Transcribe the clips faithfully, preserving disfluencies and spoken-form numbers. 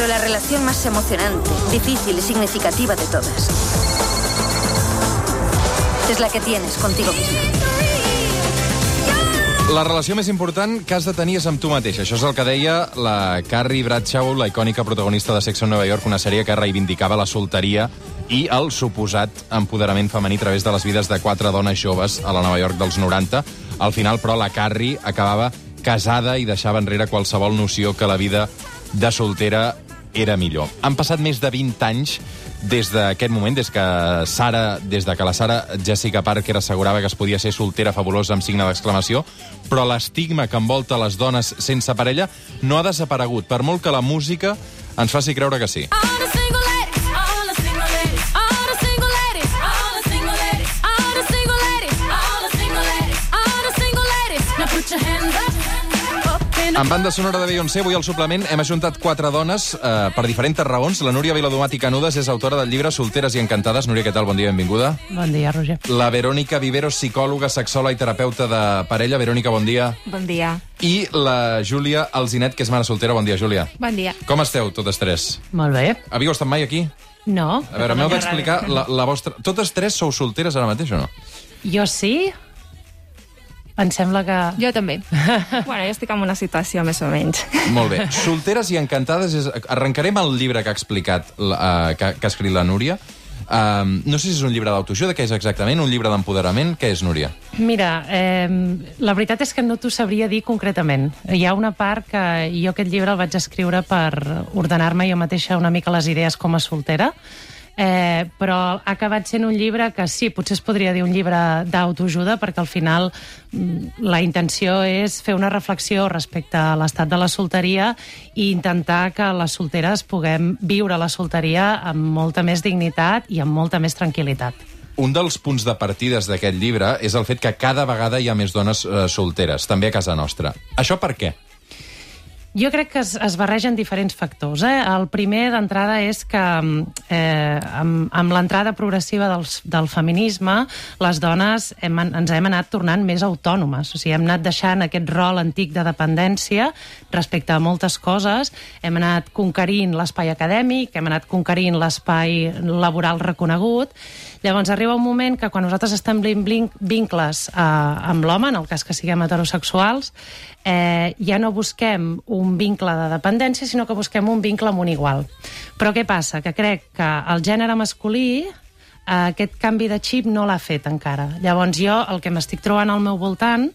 Pero la relación más emocionante, difícil y significativa de todas es la que tienes contigo misma. La relació més important que has de tenir és amb tu mateix. Això és el que deia la Carrie Bradshaw, la icònica protagonista de Sex en Nova York, una sèrie que reivindicava la solteria i el suposat empoderament femení a través de les vides de quatre dones joves a la Nova York dels noranta. Al final, però, la Carrie acabava casada i deixava enrere qualsevol noció que la vida de soltera era millor. Han passat més de vint anys des d'aquest moment, des que Sara, des de que la Sara Jessica Parker assegurava que es podia ser soltera fabulosa amb signe d'exclamació, però l'estigma que envolta les dones sense parella no ha desaparegut, per molt que la música ens faci creure que sí. En banda sonora de Beyoncé, avui al suplement hem ajuntat quatre dones eh, per diferents raons. La Núria Viladomat i Canudes és autora del llibre Solteres i encantades. Núria, què tal? Bon dia, benvinguda. Bon dia, Roger. La Verònica Viveros, psicòloga, sexòloga i terapeuta de parella. Verònica, bon dia. Bon dia. I la Júlia Alzinet, que és mare soltera. Bon dia, Júlia. Bon dia. Com esteu, totes tres? Molt bé. Havíeu estat mai aquí? No. A veure, m'heu d'explicar la, la vostra... Totes tres sou solteres ara mateix o no? Jo sí. Em sembla que... Jo també. Bueno, jo estic en una situació més o menys. Molt bé. Solteres i encantades... És... Arrencarem el llibre que ha explicat, uh, que, que ha escrit la Núria. Uh, no sé si és un llibre d'autoajuda, què és exactament? Un llibre d'empoderament? Què és, Núria? Mira, eh, la veritat és que no t'ho sabria dir concretament. Hi ha una part que jo aquest llibre el vaig escriure per ordenar-me jo mateixa una mica les idees com a soltera, Eh, però ha acabat sent un llibre que sí, potser es podria dir un llibre d'autoajuda, perquè al final la intenció és fer una reflexió respecte a l'estat de la solteria i intentar que les solteres puguem viure la solteria amb molta més dignitat i amb molta més tranquil·litat. Un dels punts de partides d'aquest llibre és el fet que cada vegada hi ha més dones eh, solteres, també a casa nostra. Això per què? Jo crec que es, es barregen diferents factors. Eh? El primer d'entrada és que eh, amb, amb l'entrada progressiva dels, del feminisme les dones hem, ens hem anat tornant més autònomes. O sigui, hem anat deixant aquest rol antic de dependència respecte a moltes coses. Hem anat conquerint l'espai acadèmic, hem anat conquerint l'espai laboral reconegut. Llavors arriba un moment que quan nosaltres establim vincles eh, amb l'home, en el cas que siguem heterosexuals, eh, ja no busquem un vincle de dependència, sinó que busquem un vincle amb un igual. Però què passa? Que crec que el gènere masculí eh, aquest canvi de xip no l'ha fet encara. Llavors jo el que m'estic trobant al meu voltant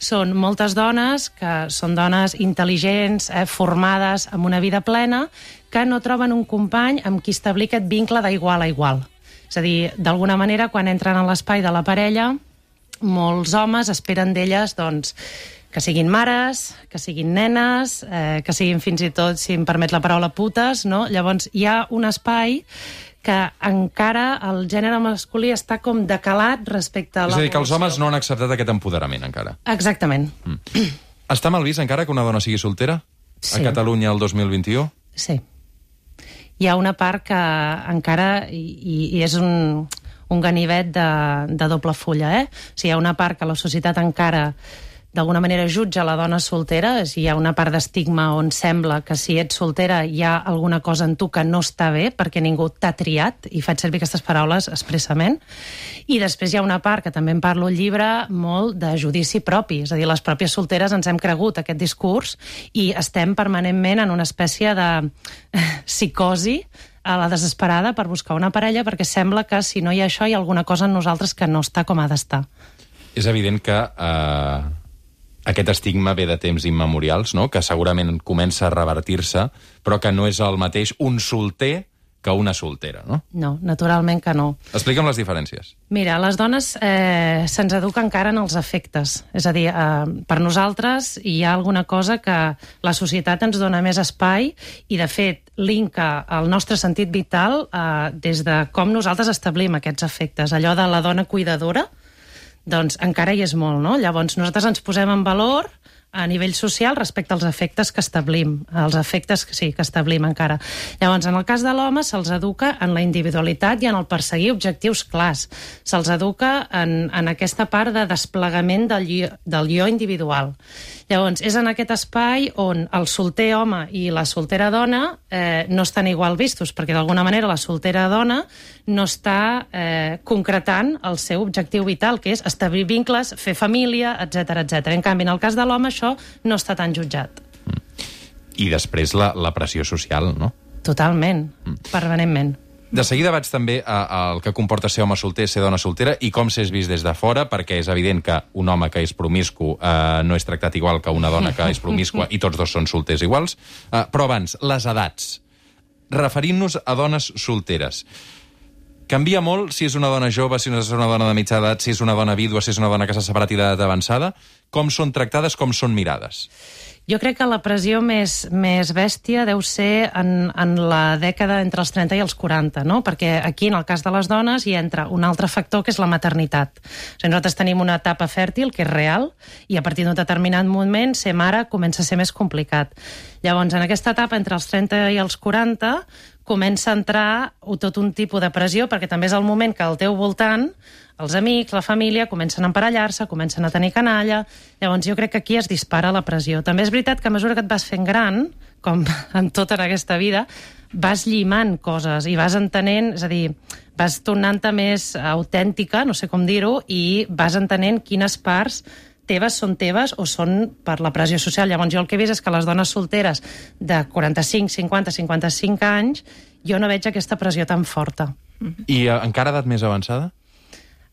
són moltes dones que són dones intel·ligents, eh, formades, amb una vida plena, que no troben un company amb qui establir aquest vincle d'igual a igual. És a dir, d'alguna manera, quan entren en l'espai de la parella, molts homes esperen d'elles, doncs, que siguin mares, que siguin nenes, eh, que siguin fins i tot, si em permet la paraula, putes, no? Llavors hi ha un espai que encara el gènere masculí està com decalat respecte a la... És a dir, que els homes no han acceptat aquest empoderament encara. Exactament. Mm. Està mal vist encara que una dona sigui soltera? Sí. A Catalunya el dos mil vint-i-u? Sí. Hi ha una part que encara, i, i és un, un ganivet de, de doble fulla, eh? O sigui, hi ha una part que la societat encara d'alguna manera jutja la dona soltera, és, hi ha una part d'estigma on sembla que si ets soltera hi ha alguna cosa en tu que no està bé perquè ningú t'ha triat, i faig servir aquestes paraules expressament. I després hi ha una part, que també en parlo al llibre, molt de judici propi, és a dir, les pròpies solteres ens hem cregut aquest discurs i estem permanentment en una espècie de psicosi a la desesperada per buscar una parella, perquè sembla que si no hi ha això hi ha alguna cosa en nosaltres que no està com ha d'estar. És evident que eh, aquest estigma ve de temps immemorials, no? Que segurament comença a revertir-se, però que no és el mateix un solter que una soltera, no? No, naturalment que no. Explica'm les diferències. Mira, les dones eh, se'ns educa encara en els afectes. És a dir, eh, per nosaltres hi ha alguna cosa que la societat ens dona més espai i, de fet, linka el nostre sentit vital eh, des de com nosaltres establim aquests afectes. Allò de la dona cuidadora, doncs encara hi és molt, no? Llavors nosaltres ens posem en valor a nivell social respecte als efectes que establim, els efectes que sí, que establim encara. Llavors, en el cas de l'home, se'ls educa en la individualitat i en el perseguir objectius clars. Se'ls educa en, en aquesta part de desplegament del jo, del jo individual. Llavors, és en aquest espai on el solter home i la soltera dona eh, no estan igual vistos, perquè d'alguna manera la soltera dona no està eh, concretant el seu objectiu vital, que és establir vincles, fer família, etcètera, etcètera. En canvi, en el cas de l'home, això no està tan jutjat. I després la, la pressió social, no? Totalment, permanentment. De seguida vaig també al que comporta ser home solter, ser dona soltera, i com s'és vist des de fora, perquè és evident que un home que és promiscu eh, no és tractat igual que una dona que és promiscua, i tots dos són solters iguals. Eh, però abans, les edats. Referint-nos a dones solteres. Canvia molt si és una dona jove, si és una dona de mitja edat, si és una dona vídua, si és una dona que s'ha separat i d'edat avançada? Com són tractades, com són mirades? Jo crec que la pressió més, més bèstia deu ser en, en la dècada entre els trenta i els quaranta, no? Perquè aquí, en el cas de les dones, hi entra un altre factor, que és la maternitat. O sigui, nosaltres tenim una etapa fèrtil, que és real, i a partir d'un determinat moment, ser mare comença a ser més complicat. Llavors, en aquesta etapa, entre els trenta i els quaranta, comença a entrar tot un tipus de pressió, perquè també és el moment que al teu voltant els amics, la família, comencen a emparellar-se, comencen a tenir canalla. Llavors jo crec que aquí es dispara la pressió. També és veritat que a mesura que et vas fent gran, com en tota en aquesta vida, vas llimant coses i vas entenent, és a dir, vas tornant-te més autèntica, no sé com dir-ho, i vas entenent quines parts teves són teves o són per la pressió social. Llavors jo el que he vist és que les dones solteres de quaranta-cinc, cinquanta, cinquanta-cinc anys, jo no veig aquesta pressió tan forta. I uh, encara edat més avançada?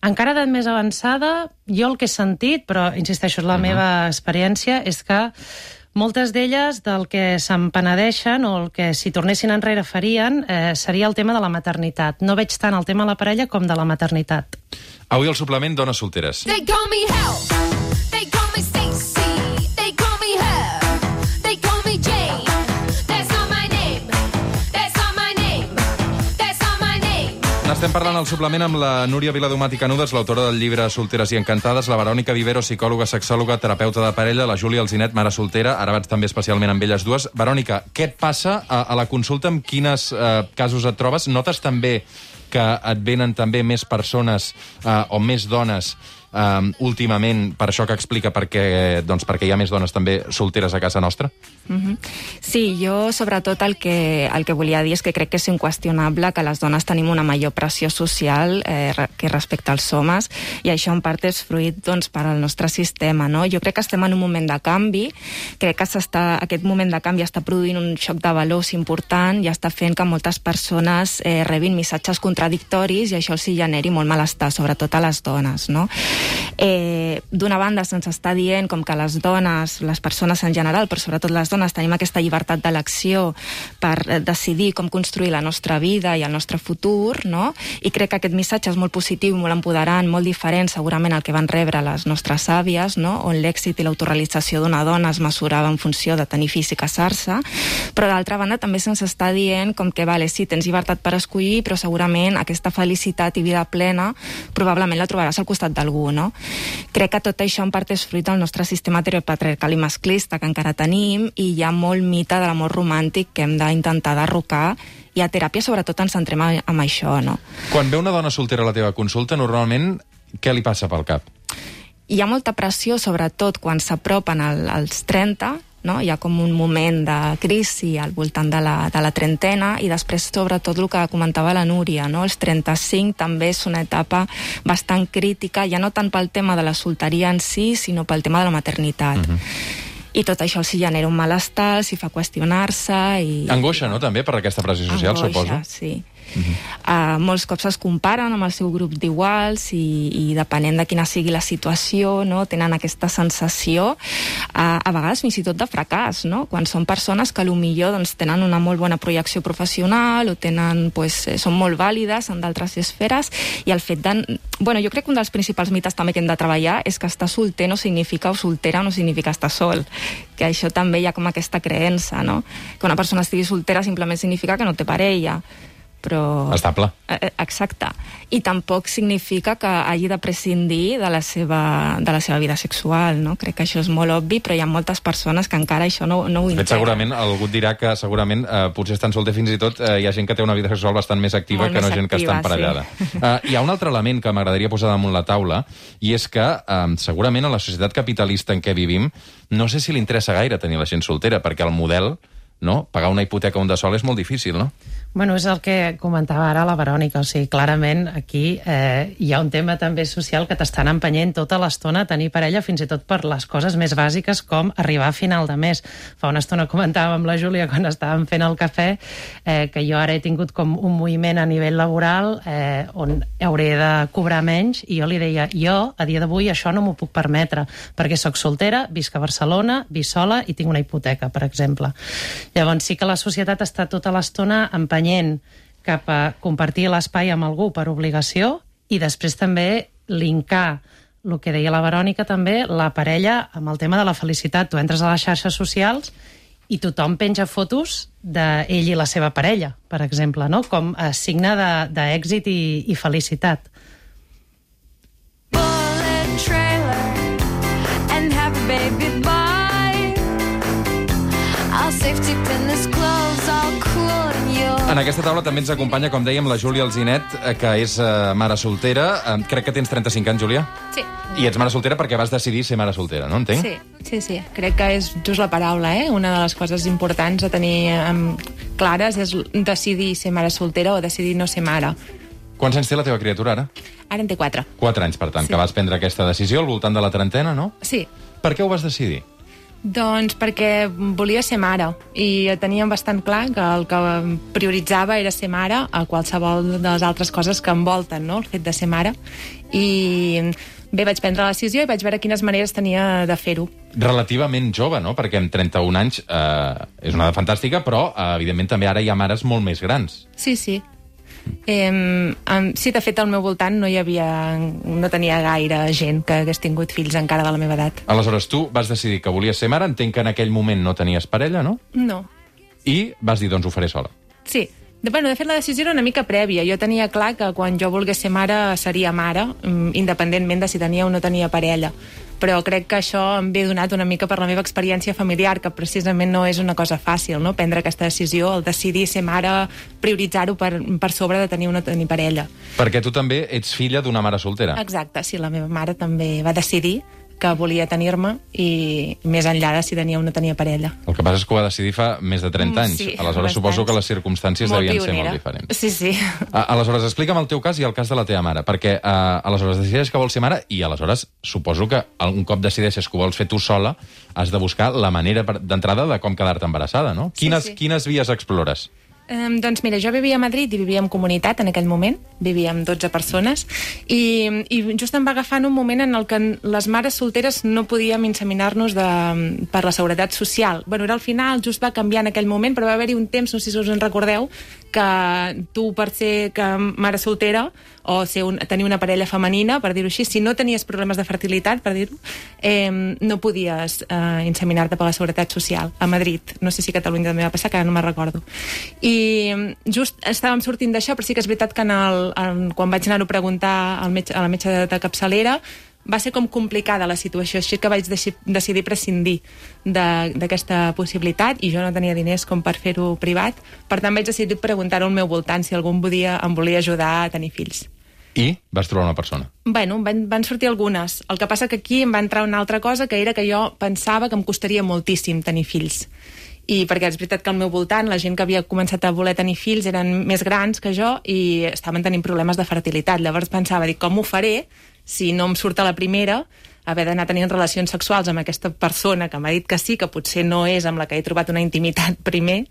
Encara edat més avançada, jo el que he sentit, però insisteixo, és la uh-huh. meva experiència, és que moltes d'elles del que se'n penedeixen o el que si tornessin enrere farien eh, seria el tema de la maternitat. No veig tant el tema de la parella com de la maternitat. Avui al suplement, dones solteres. They call me Hell. They call me Stacy. They call me Her. They call me Jane. That's not my name. That's not my name. That's not my name. N'estem parlant al suplement amb la Núria Viladomat i Canudes, l'autora del llibre Solteres i Encantades, la Verònica Vivero, psicòloga, sexòloga, terapeuta de parella, la Júlia Alzinet, mare soltera, ara vaig també especialment amb elles dues. Verònica, què et passa a, a la consulta? En quines eh, casos et trobes? Notes també que et venen també més persones eh, o més dones eh, últimament, per això que explica perquè, doncs, perquè hi ha més dones també solteres a casa nostra? Mm-hmm. Sí, jo sobretot el que, el que volia dir és que crec que és inqüestionable que les dones tenim una major pressió social eh, que respecte als homes, i això en part és fruit doncs, per al nostre sistema, no? Jo crec que estem en un moment de canvi, crec que s'està, aquest moment de canvi està produint un xoc de valors important i està fent que moltes persones eh, rebin missatges contradictoris i això els hi generi molt malestar, sobretot a les dones, no? Eh, d'una banda se'ns està dient com que les dones, les persones en general, però sobretot les dones, tenim aquesta llibertat d'elecció per decidir com construir la nostra vida i el nostre futur, no? I crec que aquest missatge és molt positiu, molt empoderant, molt diferent segurament al que van rebre les nostres àvies, no? On l'èxit i l'autorealització d'una dona es mesurava en funció de tenir fills i casar-se, però d'altra banda també se'ns està dient com que, vale, sí, tens llibertat per escollir, però segurament aquesta felicitat i vida plena probablement la trobaràs al costat d'algú, no? Crec que tot això en part és fruit del nostre sistema heteropatriarcal i masclista que encara tenim, i hi ha molt mite de l'amor romàntic que hem d'intentar derrocar, i a teràpia sobretot ens centrem en això, no? Quan ve una dona soltera a la teva consulta, normalment què li passa pel cap? Hi ha molta pressió, sobretot quan s'apropen al, als trenta, no? Hi ha com un moment de crisi al voltant de la, de la trentena, i després sobretot el que comentava la Núria, no? Els trenta-cinc també és una etapa bastant crítica, ja no tant pel tema de la solteria en si, sinó pel tema de la maternitat. Uh-huh. I tot això els hi genera un malestar, els hi fa qüestionar-se i... Angoixa, no?, també, per aquesta pressió social, Angoixa, suposo. Sí. Uh-huh. Uh, molts cops es comparen amb el seu grup d'iguals i, i depenent de quina sigui la situació, no, tenen aquesta sensació uh, a vegades fins i tot de fracàs, no? Quan són persones que potser doncs, tenen una molt bona projecció professional o tenen, pues, són molt vàlides en d'altres esferes, i el fet de... Bueno, jo crec que un dels principals mites també que hem de treballar és que estar solter no significa, o soltera no significa estar sol, que això també hi ha com aquesta creença, no? Que una persona estigui soltera simplement significa que no té parella, però... Estable. Eh, Exacte. I tampoc significa que hagi de prescindir de la seva, de la seva vida sexual, no? Crec que això és molt obvi, però hi ha moltes persones que encara això no, no ho De fet, integren. segurament, algú et dirà que segurament eh, potser estan solter fins i tot eh, hi ha gent que té una vida sexual bastant més activa Molt que no més gent que està activa, emparellada. sí. Eh, hi ha un altre element que m'agradaria posar damunt la taula, i és que eh, segurament a la societat capitalista en què vivim no sé si li interessa gaire tenir la gent soltera, perquè el model, no? Pagar una hipoteca un de sol és molt difícil, no? Bueno, és el que comentava ara la Verònica, o sigui, clarament aquí eh, hi ha un tema també social que t'estan empenyent tota l'estona a tenir parella, fins i tot per les coses més bàsiques com arribar a final de mes. Fa una estona comentàvem amb la Júlia quan estàvem fent el cafè eh, que jo ara he tingut com un moviment a nivell laboral eh, on hauré de cobrar menys, i jo li deia, jo a dia d'avui això no m'ho puc permetre, perquè sóc soltera, visc a Barcelona, visc sola i tinc una hipoteca, per exemple. Llavors sí que la societat està tota l'estona empenyent cap a compartir l'espai amb algú per obligació, i després també linkar el que deia la Verònica també, la parella amb el tema de la felicitat. Tu entres a les xarxes socials i tothom penja fotos d'ell i la seva parella, per exemple, no? Com a signe de- d'èxit i, i felicitat. Bullet trailer and have a baby boy. I'll safety pin this clothes all cool and you'll... En aquesta taula també ens acompanya, com dèiem, la Júlia Alzinet, eh, que és eh, mare soltera. Eh, crec que tens trenta-cinc anys, Júlia? Sí, I ets mare soltera perquè vas decidir ser mare soltera, no? Entenc? sí, sí, sí. Crec que és just la paraula, eh? Una de les coses importants a tenir um, clares és decidir ser mare soltera o decidir no ser mare. Quants anys té la teva criatura, ara? Ara en té quatre. Quatre anys, per tant, sí. Que vas prendre aquesta decisió al voltant de la trentena, no? Sí, Per què ho vas decidir? doncs perquè volia ser mare i teníem bastant clar que el que prioritzava era ser mare a qualsevol de les altres coses que envolten, no?, el fet de ser mare. I bé, vaig prendre la decisió i vaig veure quines maneres tenia de fer-ho. Relativament jove, no? Perquè amb trenta-un anys eh, és una edat fantàstica, però, eh, evidentment, també ara hi ha mares molt més grans. Sí, sí. Eh, um, sí, de fet, al meu voltant no hi havia... no tenia gaire gent que hagués tingut fills encara de la meva edat. Aleshores, tu vas decidir que volies ser mare, entenc que en aquell moment no tenies parella, no? No. I vas dir, doncs ho faré sola. Sí. De, bueno, de fet, la decisió era una mica prèvia. Jo tenia clar que quan jo volgués ser mare seria mare, mm, independentment de si tenia o no tenia parella. Però crec que això em ve donat una mica per la meva experiència familiar, que precisament no és una cosa fàcil, no?, prendre aquesta decisió, el decidir ser mare, prioritzar-ho per, per sobre de tenir o no tenir parella. Perquè tu també ets filla d'una mare soltera. Exacte, sí, la meva mare també va decidir que volia tenir-me i més enllà de si tenia o no tenia parella. El que passa és que ho va decidir fa més de trenta anys. Sí, Aleshores, bastants. suposo que les circumstàncies Molt devien pionera. ser molt diferents. Sí, sí. A- Aleshores, explica'm el teu cas i el cas de la teva mare, perquè uh, aleshores decideix que vols ser mare i aleshores suposo que un cop decideixes que ho vols fer tu sola, has de buscar la manera per- d'entrada de com quedar-te embarassada, no? Sí, Quines, sí. quines vies explores? Um, doncs mira, jo vivia a Madrid i vivia en comunitat en aquell moment, vivíem dotze persones, i, i just em va agafar en un moment en el que les mares solteres no podíem inseminar-nos de, per la seguretat social. Bueno, era al final, just va canviar en aquell moment, però va haver-hi un temps, no sé si us en recordeu, que tu per ser que mare soltera o ser un, tenir una parella femenina, per dir-ho així, si no tenies problemes de fertilitat, per dir-ho, eh, no podies eh, inseminar-te per la seguretat social a Madrid. No sé si a Catalunya també va passar, que ara no me'n recordo. I just estàvem sortint d'això, però sí que és veritat que en el, en, quan vaig anar-ho a preguntar al metge, a la metge de, de capçalera, va ser com complicada la situació, així que vaig deci decidir prescindir d'aquesta possibilitat i jo no tenia diners com per fer-ho privat. Per tant, vaig decidir preguntar-ho al meu voltant si algú em, podia, em volia ajudar a tenir fills. I vas trobar una persona. Bueno, van, van sortir algunes. El que passa que aquí em va entrar una altra cosa, que era que jo pensava que em costaria moltíssim tenir fills. I perquè és veritat que al meu voltant la gent que havia començat a voler tenir fills eren més grans que jo i estaven tenint problemes de fertilitat. Llavors pensava, dic, com ho faré si no em surt a la primera haver d'anar tenint relacions sexuals amb aquesta persona que m'ha dit que sí, que potser no és amb la que he trobat una intimitat primer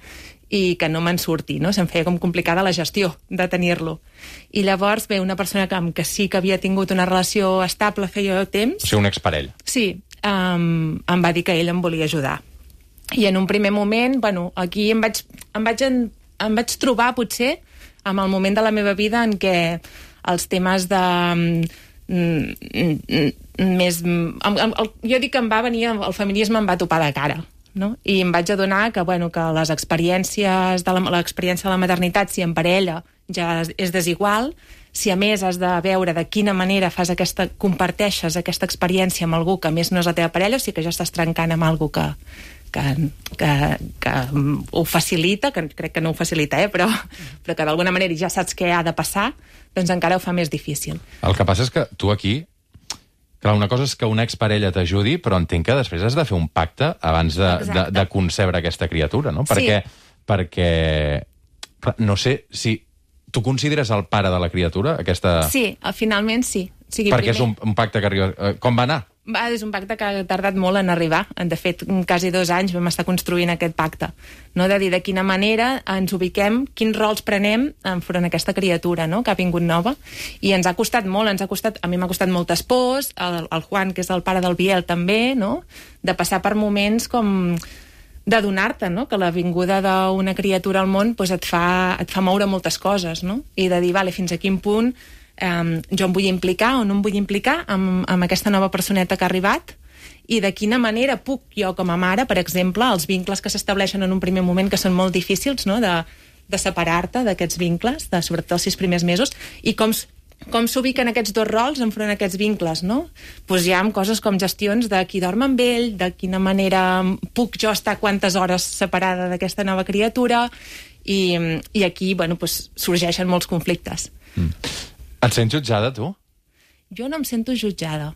i que no me'n surti, no? Se'm feia com complicada la gestió de tenir-lo. I llavors ve una persona que, amb que sí que havia tingut una relació estable feia temps... O sigui, un exparell. Sí, um, em va dir que ell em volia ajudar. I en un primer moment, bueno, aquí em vaig, em vaig, en, em vaig trobar, potser, amb el moment de la meva vida en què els temes de... més... El, el, jo dic que em va venir, el feminisme em va topar de cara, no? I em vaig adonar que, bueno, que les experiències de la, l'experiència de la maternitat, si en parella ja és desigual. Si a més has de veure de quina manera fas aquesta, comparteixes aquesta experiència amb algú que a més no és la teva parella, o sigui que ja estàs trencant amb algú que, que, que, que ho facilita, que crec que no ho facilita, eh? però, però que d'alguna manera ja saps què ha de passar, doncs encara ho fa més difícil. El que passa és que tu aquí... Clar, una cosa és que una exparella t'ajudi, però entenc que després has de fer un pacte abans de, de, de concebre aquesta criatura, no? Perquè, sí. perquè clar, no sé si... Tu consideres el pare de la criatura, aquesta... Sí, finalment sí. O sigui, perquè primer... és un, un pacte que arriba... Com va anar? Va, és un pacte que ha tardat molt en arribar. De fet, quasi dos anys vam estar construint aquest pacte. No? De dir de quina manera ens ubiquem, quins rols prenem enfront d'aquesta criatura, no? Que ha vingut nova. I ens ha costat molt, ens ha costat, a mi m'ha costat moltes pors, el, el Juan, que és el pare del Biel, també, no? De passar per moments com... d'adonar-te, no? Que la vinguda d'una criatura al món pues, et, fa, et fa moure moltes coses, no? I de dir, vale, fins a quin punt eh, jo em vull implicar o no em vull implicar amb, amb aquesta nova personeta que ha arribat, i de quina manera puc jo com a mare, per exemple, els vincles que s'estableixen en un primer moment, que són molt difícils, no? de, de separar-te d'aquests vincles, de, sobretot els sis primers mesos, i com, com s'ubiquen aquests dos rols enfront d'aquests vincles, no? Pues hi ha coses com gestions de qui dorm amb ell, de quina manera puc jo estar quantes hores separada d'aquesta nova criatura, i, i aquí, bueno, pues, sorgeixen molts conflictes. Mm. Et sents jutjada, tu? Jo no em sento jutjada,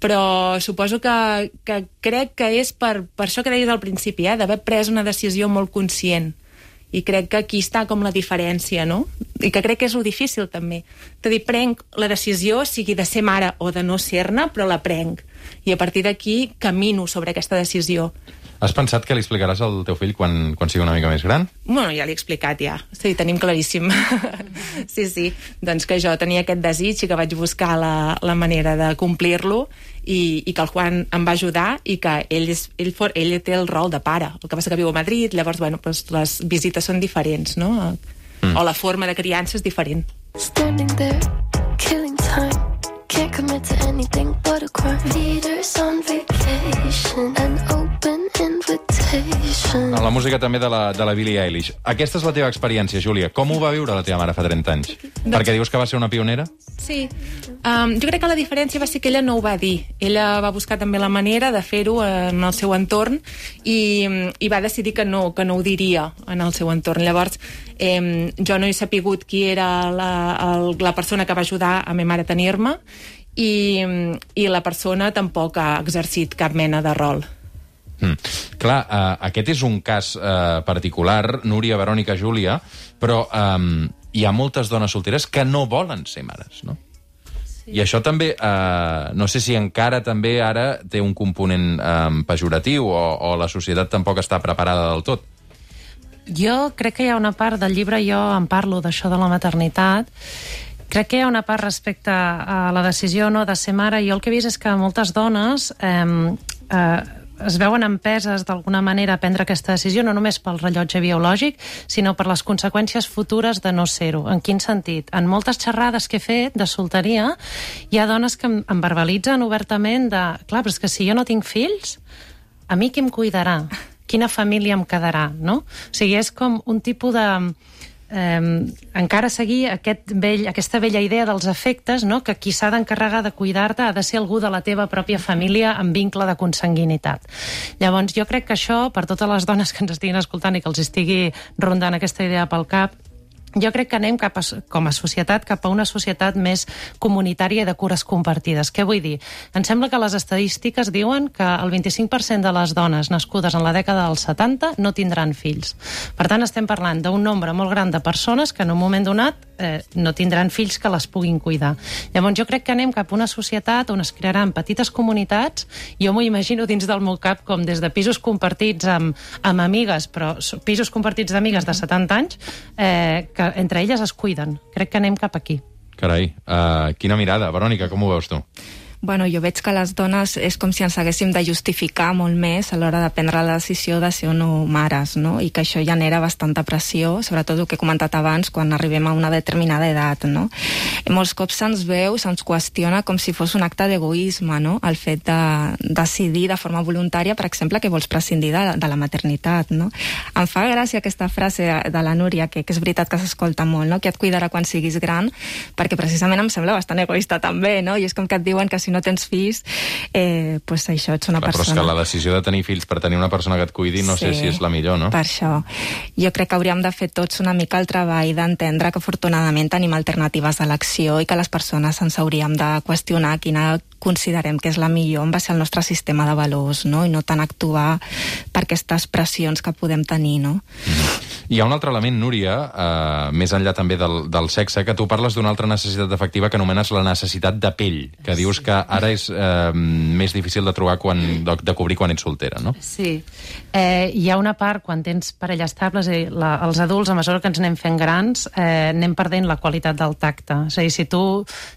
però suposo que, que crec que és per, per això que deies al principi, eh, d'haver pres una decisió molt conscient. I crec que aquí està com la diferència, no? I que crec que és lo difícil, també. De dir, prenc la decisió, sigui de ser mare o de no ser-ne, però la prenc. I a partir d'aquí camino sobre aquesta decisió. Has pensat que li explicaràs al teu fill quan, quan sigui una mica més gran? Bueno, ja l'he explicat, ja. Sí, tenim claríssim. Sí, sí. Doncs que jo tenia aquest desig i que vaig buscar la, la manera de complir-lo, i, i que el Juan em va ajudar, i que ell, és, ell, for, ell té el rol de pare. El que passa que viu a Madrid, llavors, bueno, doncs les visites són diferents, no? Mm. O la forma de criança és diferent. Standing there, killing time. Can't commit to anything but a crime. Leaders on vacation, an open invitation. La música també de la, de la Billie Eilish. Aquesta és la teva experiència, Júlia. Com ho va viure la teva mare fa trenta anys? Doncs... Perquè dius que va ser una pionera? Sí. Um, jo crec que la diferència va ser que ella no ho va dir. Ella va buscar també la manera de fer-ho en el seu entorn, i, i va decidir que no, que no ho diria en el seu entorn. Llavors, eh, jo no he sapigut qui era la, el, la persona que va ajudar a ma mare a tenir-me, i, i la persona tampoc ha exercit cap mena de rol. Mm. Clar, uh, aquest és un cas uh, particular, Núria, Verònica, Júlia, però um, hi ha moltes dones solteres que no volen ser mares, no? Sí. I això també, uh, no sé si encara també ara té un component um, pejoratiu, o, o la societat tampoc està preparada del tot. Jo crec que hi ha una part del llibre, jo en parlo d'això de la maternitat. Crec que hi ha una part respecte a la decisió no de ser mare. Jo el que he vist és que moltes dones eh, eh, es veuen empeses d'alguna manera a prendre aquesta decisió, no només pel rellotge biològic, sinó per les conseqüències futures de no ser-ho. En quin sentit? En moltes xerrades que he fet de solteria, hi ha dones que em, em verbalitzen obertament de, clar, però és que si jo no tinc fills, a mi qui em cuidarà? Quina família em quedarà, no? O sigui, és com un tipus de... Eh, encara seguir aquest vell, aquesta vella idea dels afectes, no? Que qui s'ha d'encarregar de cuidar-te ha de ser algú de la teva pròpia família amb vincle de consanguinitat. Llavors, jo crec que això, per totes les dones que ens estiguin escoltant i que els estigui rondant aquesta idea pel cap, jo crec que anem cap a, com a societat cap a una societat més comunitària i de cures compartides. Què vull dir? Em sembla que les estadístiques diuen que el vint-i-cinc per cent de les dones nascudes en la dècada dels setanta no tindran fills. Per tant, estem parlant d'un nombre molt gran de persones que en un moment donat eh, no tindran fills que les puguin cuidar. Llavors, jo crec que anem cap a una societat on es crearan petites comunitats. Jo m'ho imagino dins del meu cap com des de pisos compartits amb, amb amigues, però pisos compartits d'amigues de setanta anys, eh, que entre elles es cuiden. Crec que anem cap aquí. Carai, uh, quina mirada. Verònica, com ho veus tu? Bueno, jo veig que les dones és com si ens haguéssim de justificar molt més a l'hora de prendre la decisió de ser o no mares, no? I que això genera bastanta pressió, sobretot el que he comentat abans, quan arribem a una determinada edat, no? I molts cops se'ns veu, se'ns qüestiona com si fos un acte d'egoisme, no? El fet de decidir de forma voluntària, per exemple, que vols prescindir de, de la maternitat, no? Em fa gràcia aquesta frase de la Núria, que, que és veritat que s'escolta molt, no? Que et cuidarà quan siguis gran, perquè precisament em sembla bastant egoista també, no? I és com que et diuen que si no tens fills, eh, pues això, ets una Clar, persona... Però és que la decisió de tenir fills per tenir una persona que et cuidi no Sí, sé si és la millor, no? Per això. Jo crec que hauríem de fer tots una mica el treball d'entendre que afortunadament tenim alternatives d'elecció i que les persones ens hauríem de qüestionar quina considerem que és la millor en base al nostre sistema de valors, no? I no tant actuar per aquestes pressions que podem tenir, no? Mm. Hi ha un altre element, Núria, eh, més enllà també del, del sexe, que tu parles d'una altra necessitat efectiva que anomenes la necessitat de pell, que dius que ara és eh, més difícil de trobar quan, de, de cobrir quan ets soltera, no? Sí. Eh, hi ha una part, quan tens parella estable, és a dir, la, els adults, a mesura que ens anem fent grans, eh, anem perdent la qualitat del tacte. És a dir, si tu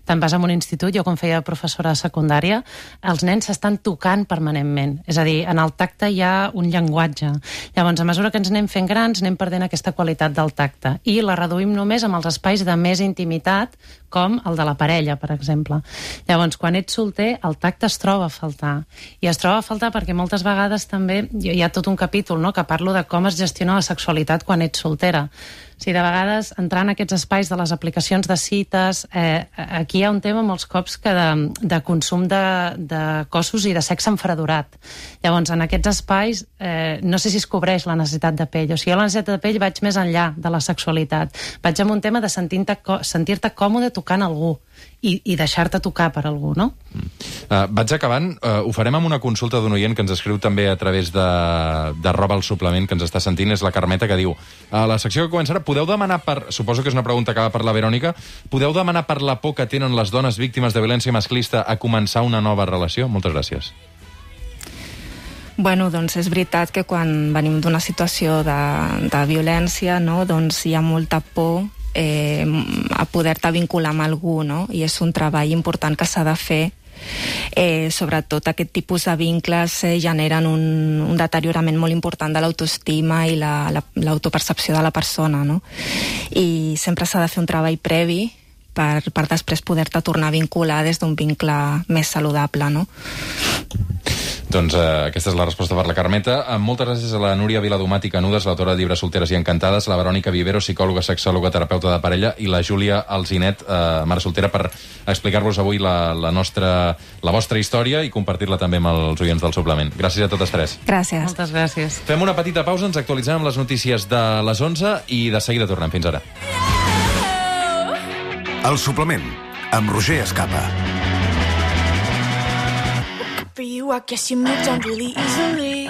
te'n vas a un institut, jo quan feia professora de secundària, els nens s'estan tocant permanentment. És a dir, en el tacte hi ha un llenguatge. Llavors, a mesura que ens anem fent grans, anem perdent aquesta qualitat del tacte. I la reduïm només amb els espais de més intimitat, com el de la parella, per exemple. Llavors, quan ets solter, el tacte es troba a faltar. I es troba a faltar perquè moltes vegades també hi ha tot un capítol, no?, que parlo de com es gestiona la sexualitat quan ets soltera. O sigui, de vegades, entrar en aquests espais de les aplicacions de cites, eh, aquí hi ha un tema molts cops que de, de consum de, de cossos i de sexe enfredurat. Llavors, en aquests espais, eh, no sé si es cobreix la necessitat de pell. O sigui, jo la necessitat de pell vaig més enllà de la sexualitat. Vaig amb un tema de sentir-te sentir-te còmode tocant algú i, i deixar-te tocar per algú, no? Mm. Uh, vaig acabant. Uh, ho farem amb una consulta d'un oient que ens escriu també a través de, de Roba al Suplement, que ens està sentint, és la Carmeta, que diu: a la secció que començarà, podeu demanar per... Suposo que és una pregunta que va per la Verònica. Podeu demanar per la por que tenen les dones víctimes de violència masclista a començar una nova relació? Moltes gràcies. Bueno, doncs és veritat que quan venim d'una situació de, de violència, no, doncs hi ha molta por eh, a poder-te vincular amb algú, no? I és un treball important que s'ha de fer. Eh, sobretot aquest tipus de vincles eh, generen un, un deteriorament molt important de l'autoestima i la, la, l'autopercepció de la persona, no? I sempre s'ha de fer un treball previ per, per després poder-te tornar a vincular des d'un vincle més saludable, no? Doncs eh, aquesta és la resposta per la Carmeta. Eh, moltes gràcies a la Núria Viladomat i Canudes, l'autora de llibres Solteres i Encantades, la Verònica Vivero, psicòloga, sexòloga, terapeuta de parella, i la Júlia Alzinet, eh, mare soltera, per explicar-vos avui la, la, nostra, la vostra història i compartir-la també amb els oients del suplement. Gràcies a totes tres. Gràcies. Moltes gràcies. Fem una petita pausa, ens actualitzem amb les notícies de les onze i de seguida tornem. Fins ara. El suplement, amb Roger Escapa. For you, I guess you moved on really easily.